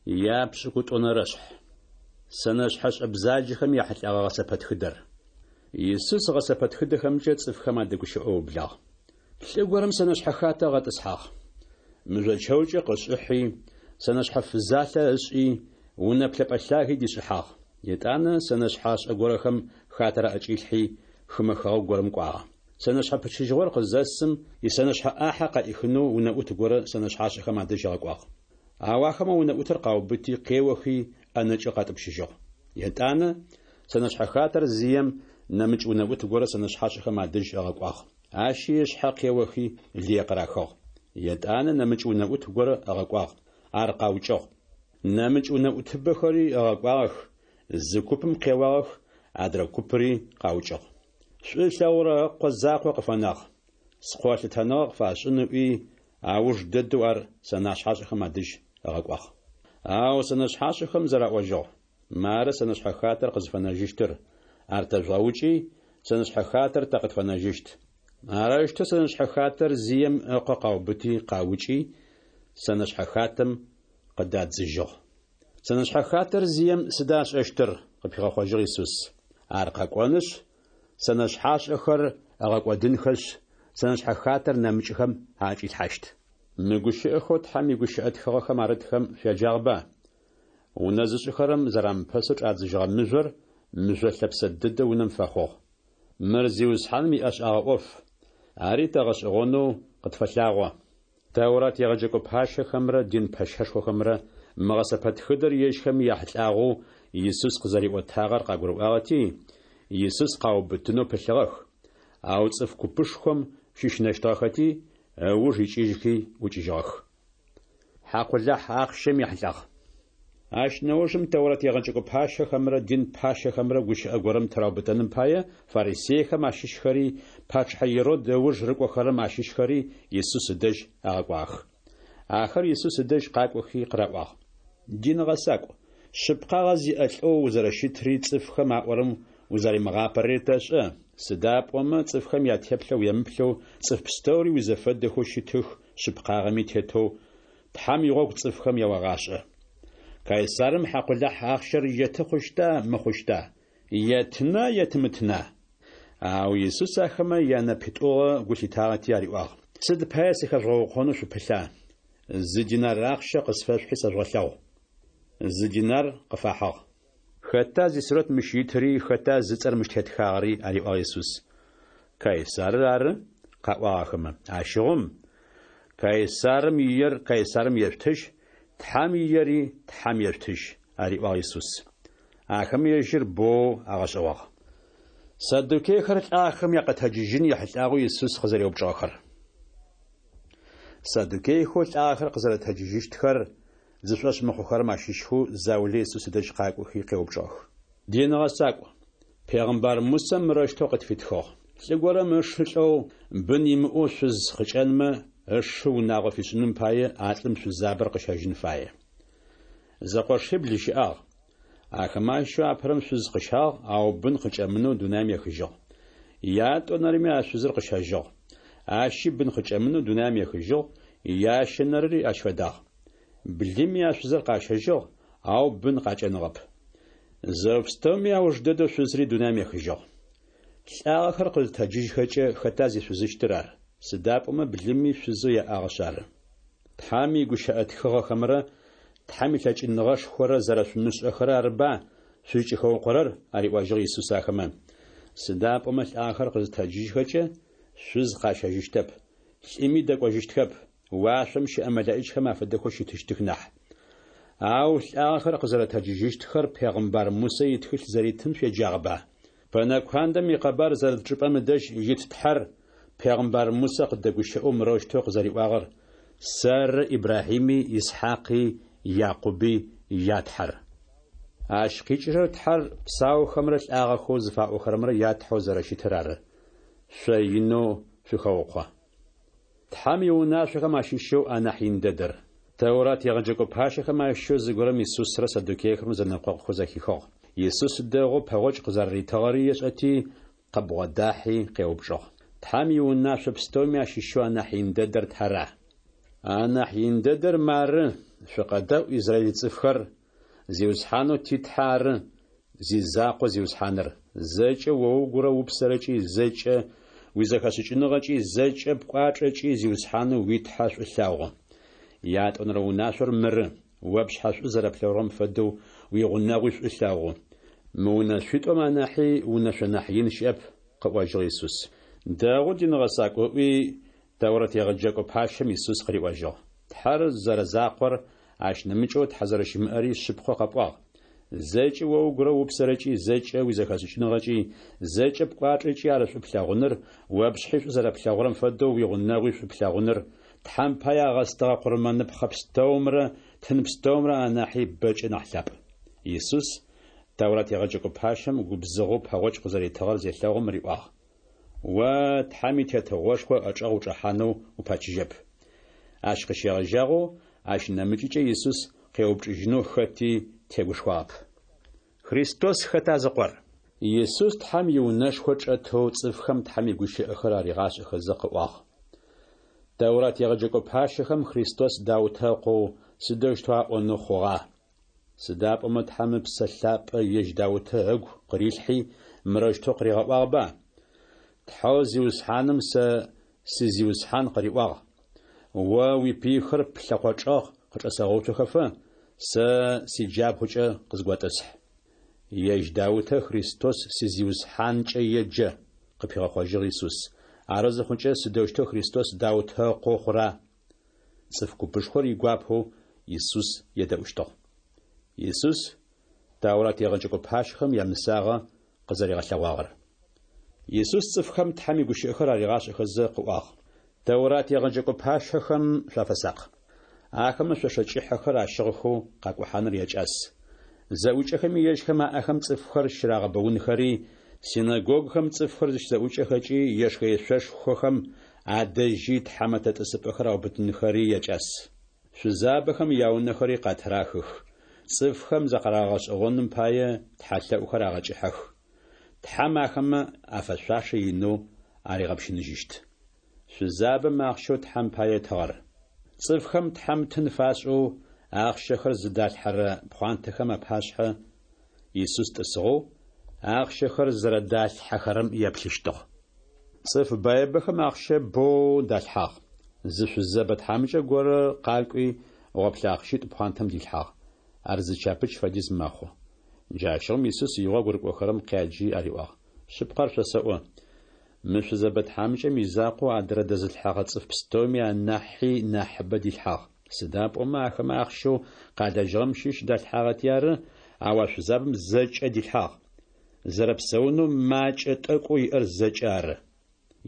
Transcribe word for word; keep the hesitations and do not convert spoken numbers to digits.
Япшӏыкӏутӏонэрэшъхь. Сэнэшъхьэшӏэ бзаджэхэм яхьылӏэгъэ гъэсэпэтхыдэр. Исус гъэсэпэтхыдэхэмкӏэ цӏыфхэм адэгущыӏэу ыублагъ. Лӏы горэм сэнэшъхьэ хатэ ыгъэтӏысхьагъ. Мыжъо чэукӏэ къышӏыхьи, сэнэшъхьэ фызалъэ ышӏи, унэ плъэпӏэ лъаги дишӏыхьагъ. Етӏанэ сэнэшъхьашӏэ горэхэм хатэр аӏэкӏилъхьи, хымэ хэгъэгу горэм кӏуагъэ. Сэнэшъхьэ пычыжьыгъор къызэсым, исэнэшъхьэ ӏахьэ къаӏихынэу унэӏут горэ сэнэшъхьашӏэхэм адэжь ыгъэкӏуагъ. Ау ахэмэ унэӏутыр къаубыти, къеохи, ӏэнэкӏэу къатӏупщыжьыгъ. Етӏанэ сэнэшъхьэ хатэр зием нэмыкӏ унэӏут горэ сэнэшъхьашӏэхэм адэжь ыгъэкӏуагъ. Ащи ышъхьэ къеохи, лые къырахыгъ. Етӏанэ нэмыкӏ унэӏут горэ ыгъэкӏуагъ, ар къаукӏыгъ. Нэмыкӏ унэӏутыбэхэри ыгъэкӏуагъэх, зы купым къеуагъэх, адрэ купыри къаукӏыгъ. Шӏу ылъэгъурэ ыкъо закъо къыфэнагъ. Скъо лъытэныгъэ къыфашӏын ыӏуи, ауж дэдэу ар сэнэшъхьашӏэхэм адэжь ыгъэкӏуагъ. Ау сэнэшъхьашӏэхэм зэраӏожьыгъ: Мары сэнэшъхьэ хатэр къызфэнэжьыщтыр, ар тэжъугъэукӏи, сэнэшъхьэ хатэр тэ къытфэнэжьыщт. Арэущтэу сэнэшъхьэ хатэр зием ыкъо къаубыти къаукӏи, сэнэшъхьэ хатэм къыдадзыжьыгъ. Сэнэшъхьэ хатэр зием сыда ышӏэщтыр? къыпигъэхъожьыгъ Исус. Ар къэкӏонышъ, сэнэшъхьашӏэхэр ыгъэкӏодынхэшъ, сэнэшъхьэ хатэр нэмыкӏхэм аӏэкӏилъхьащт. Мы гущыӏэхэу Тхьэм игущыӏэ тхыгъэхэм арытхэм шъуяджагъэба? Унэ зышӏыхэрэм зэрамыпэсэу чӏадзыжьыгъэ мыжъор мыжъо лъэпсэ дэдэ унэм фэхъугъ. Мыр Зиусхьаным иӏэшӏагъэ ӏоф, ари тэ гъэшӏэгъонэу къытфэлъагъо. Тэурат егъэджэкӏо пащэхэмрэ дин пэщэшхохэмрэ мы гъэсэпэтхыдэр ежьхэм яхьылӏагъэу Исус къызэриӏотагъэр къагурыӏуагъэти, Исус къаубытынэу пылъыгъэх, ау цӏыф купышхом щыщынэщтыгъэхэти, ыуж икӏыжьхи ӏукӏыжьыгъэх. Хьакъулахь ахъщэм ехьылӏагъ. Ащ нэужым Тэурат егъэджэкӏо пащэхэмрэ дин пащэхэмрэ гущыӏэ горэм тыраубытэным пае фарисейхэм ащыщхэри, пачъыхьэ Ирод ыуж рыкӏохэрэм ащыщхэри Исус ыдэжь агъэкӏуагъэх. Ахэр Исус ыдэжь къакӏохи къыраӏуагъ: Дин гъэсакӏу, шъыпкъагъэ зиӏэ лӏэу узэрэщытри цӏыфхэм аӏорэм узэрамыгъапэрэри тэшӏэ, сыда пӏомэ цӏыфхэм ятеплъэ уемыплъэу цӏыф пстэури уизэфэдэхэу щытых, шъыпкъагъэми тетэу Тхьэм игъогу цӏыфхэм яогъашӏэ. Кайсарым хьакъулахь ахъщэр еты хъущта, мыхъущта? Еттына, етымытына? Ау Исус ахэмэ янэпитӏугъэ гу лъитагъэти ариӏуагъ: Сыд пае сыхэжъугъэукъонэу шъупылъа? Зы динар ахъщэ къысфэшъухьи сэжъугъэлъэгъу. Зы динар къыфахьыгъ. Хэта зисурэт мыщ итыри, хэта зыцӏэр мыщ тетхагъэри? ариӏуагъ Исус. Кайсарыр ары, къаӏуагъ ахэмэ. Ащыгъум Кайсарым иер Кайсарым ешъутыжь, Тхьэм иери Тхьэм ешъутыжь, ариӏуагъ Исус. Ахэмэ ежьыр боу агъэшӏэгъуагъ. Саддукейхэр лӏахэм якъэтэджыжьын ехьылӏагъэу Исус къызэреупчӏыгъэхэр. Саддукейхэу лӏагъэхэр къызэрэтэджыжьыщтхэр зышӏошъ мыхъухэрэм ащыщхэу заулэ Исус ыдэжь къакӏохи къеупчӏыгъэх. Дин гъэсакӏу, пегъымбар Мусэ мырэущтэу къытфитхыгъ: Лӏы горэм ышы лӏэу, бын имыӏэу шъуз къыкӏэнмэ, ышы унагъо фишӏыным пае а лӏым шъузабэр къыщэжьын фае. Зэкъошибл щыӏагъ. Ахэмэ ащыщэу апэрэм шъуз къыщагъ, ау бын къыкӏэмынэу дунаим ехыжьыгъ. Ятӏонэрэми а шъузыр къыщэжьыгъ. Ащи бын къыкӏэмынэу дунаим ехыжьыгъ, ящэнэрэри ащ фэдагъ. Блыми а шъузыр къащэжьыгъ, ау бын къакӏэныгъэп. Зэо пстэуми ауж дэдэу шъузри дунаим ехыжьыгъ. Лӏагъэхэр къызытэджыжьхэкӏэ хэта зишъузыщтыр ар? Сыда пӏомэ блыми шъузэу яӏагъэшъ ары. Тхьэм игущыӏэ тхыгъэхэмрэ Тхьэм илъэкӏыныгъэшхорэ зэрэшъумышӏэхэрэр арыба шъузкӏыхэукъорэр? ариӏожьыгъ Исус ахэмэ. Сыда пӏомэ лӏагъэхэр къызытэджыжьхэкӏэ шъуз къащэжьыщтэп, лӏыми дэкӏожьыщтхэп, уашъом щыӏэ мэлэӏичхэм афэдэхэу щытыщтых нахь. Ау лӏагъэхэр къызэрэтэджыжьыщтхэр пегъымбар Мусэ итхылъ зэритым шъуеджагъэба? Пэнэ куандэм икъэбар зэрыт чӏыпӏэм ыдэжь ит Тхьэр пегъымбар Мусэ къыдэгущыӏэу мырэущтэу къызэриӏуагъэр: Сэры Ибрахьими, Исхьакъи, Якъуби я Тхьэр. Ащ къикӏырэр Тхьэр псаухэмрэ лӏагъэхэу зыфаӏохэрэмрэ я Тхьэу зэрэщытыр ары. Шъо инэу шъухэукъо. Тхьэм иунашъохэм ащыщэу анахь ин дэдэр. Тэурат егъэджэкӏо пащэхэм ащыщэу зыгорэм Исусрэ саддукейхэмрэ зэнэкъокъухэу зэхихыгъ. Исус дэгъоу пэгъокӏ къызэрэритыгъэри ешӏэти, къыбгъодахьи къеупчӏыгъ: Тхьэм иунашъо пстэуми ащыщэу анахь ин дэдэр тара? Анахь ин дэдэр мары: Шъукъэдэӏу, израиль цӏыфхэр, Зиусхьанэу ти Тхьэ ары зизакъо Зиусхьаныр. Зэкӏэ о угурэ упсэрэкӏи, зэкӏэ уизэхэшӏыкӏыныгъэкӏи, зэкӏэ пкӏуачӏэкӏи Зиусхьанэу уи Тхьэ шӏу лъэгъу. Ятӏонэрэ унашъор мыры: О пшъхьэ шӏу зэрэплъэгъурэм фэдэу уигъунэгъуи шӏу лъэгъу. Мы унэшъуитӏум анахьи унэшъо нахь ин щыӏэп, – къыӏожьыгъ Исус. Дэгъу, дин гъэсакӏу, – ыӏуи, Тэурэт егъэджэкӏо пащэм Исус къыриӏожьыгъ. Тхьэр зэрэзакъор, ащ нэмыкӏэу Тхьэ зэрэщымыӏэри шъыпкъэу къэпӏуагъ. Зэкӏэ о угурэ упсэрэкӏи, зэкӏэ уизэхэшӏыкӏыныгъэкӏи, зэкӏэ пкӏуачӏэкӏи ар шӏу плъэгъуныр, о пшъхьи шӏу зэрэплъэгъурэм фэдэу уигъунэгъуи шӏу плъэгъуныр, Тхьэм пае агъэстыгъэ къурмэныпхъэ пстэумрэ тын пстэумрэ анахьи бэкӏэ нахь лъапӏ. Исус Тэурат егъэджэкӏо пащэм губзыгъэу пэгъокӏ къызэритыгъэр зелъэгъум риӏуагъ: О Тхьэм и Тетыгъошхо ыӏэчӏэгъ учӏэхьанэу упэчыжьэп. Ащ къыщегъэжьагъэу ащ нэмыкӏыкӏэ Исус къеупчӏыжьынэу хэти тегушхуагъэп. Христос хэта зыкъор? Исус Тхьэм иунэшхо чӏэтэу цӏыфхэм Тхьэм игущыӏэхэр аригъашӏэхэзэ къыӏуагъ: Тэурат егъэджэкӏо пащэхэм Христос Даутэ ыкъоу сыдэущтэу аӏонэу хъугъа? Сыда пӏомэ Тхьэм Ыпсэ Лъапӏэ ежь Даутэ ыгу къырилъхьи, мырэущтэу къыригъэӏуагъэба: Тхьэу Зиусхьаным сэ си Зиусхьан къыриӏуагъ: О уипыйхэр плъэкъо чӏэгъ къычӏэсэгъэуцохэфэ, сэ сиджабгъукӏэ къызготӏысхь. Ежь Даутэ Христос си Зиусхьанкӏэ еджэ, къыпигъэхъожьыгъ Исус. Ары зыхъукӏэ сыдэущтэу Христос Даутэ ыкъоу хъура? Цӏыф купышхор игуапэу Исус едэӏущтыгъ. Исус Тэурат егъэджэкӏо пащэхэм ямысагъэ къызэригъэлъэгъуагъэр. Исус цӏыфхэм Тхьэм игущыӏэхэр аригъашӏэхэзэ къыӏуагъ: Тэурат егъэджэкӏо пащэхэм шъуафэсакъ. Ахэмэ шъошэ кӏыхьэхэр ащыгъхэу къакӏухьаныр якӏас. Зэӏукӏэхэми ежьхэм аӏэхэм цӏыфхэр щырагъэбэунхэри, синэгогухэм цӏыфхэр зыщызэӏукӏэхэкӏи ешхэ-ешъошхохэм адэжьи тхьамэтэ тӏысыпӏэхэр аубытынхэри якӏас. Шъузабэхэм яунэхэри къатырахых, цӏыфхэм закъарагъэшӏэгъоным пае тхьэлъэӏухэр агъэкӏыхьэх. Тхьэм ахэмэ афэшъуашэ инэу аригъэпщыныжьыщт. Шъузабэм ахъщэу Тхьэм пае ытыгъэр. Цӏыфхэм Тхьэм тын фашӏэу ахъщэхэр зыдалъхьэрэ пхъуантэхэм апашъхьэ Исус тӏысыгъэу, ахъщэхэр зэрэдалъхьэхэрэм еплъыщтыгъ. Цӏыф баибэхэм ахъщэ боу далъхьагъ. Зы шъузэбэ тхьамыкӏэ горэ къакӏуи гъоплъэ ахъщитӏу пхъуантэм дилъхьагъ. Ар зы чапыч фэдиз мэхъу. Джащыгъум Исус игъогу рыкӏохэрэм къяджи ариӏуагъ: Шъыпкъэр шъосэӏо, мы шъузэбэ тхьамыкӏэм изакъоу адрэ дэзылъхьэгъэ цӏыф пстэуми анахьи нахьыбэ дилъхьагъ. Сыда пӏомэ ахэмэ ахъщэу къалэжьыгъэм щыщ далъхьагъэти ары, ау а шъузабэм зэкӏэ дилъхьагъ. Зэрэпсэунэу макӏэ тӏэкӏоу иӏэр зэкӏэ ары.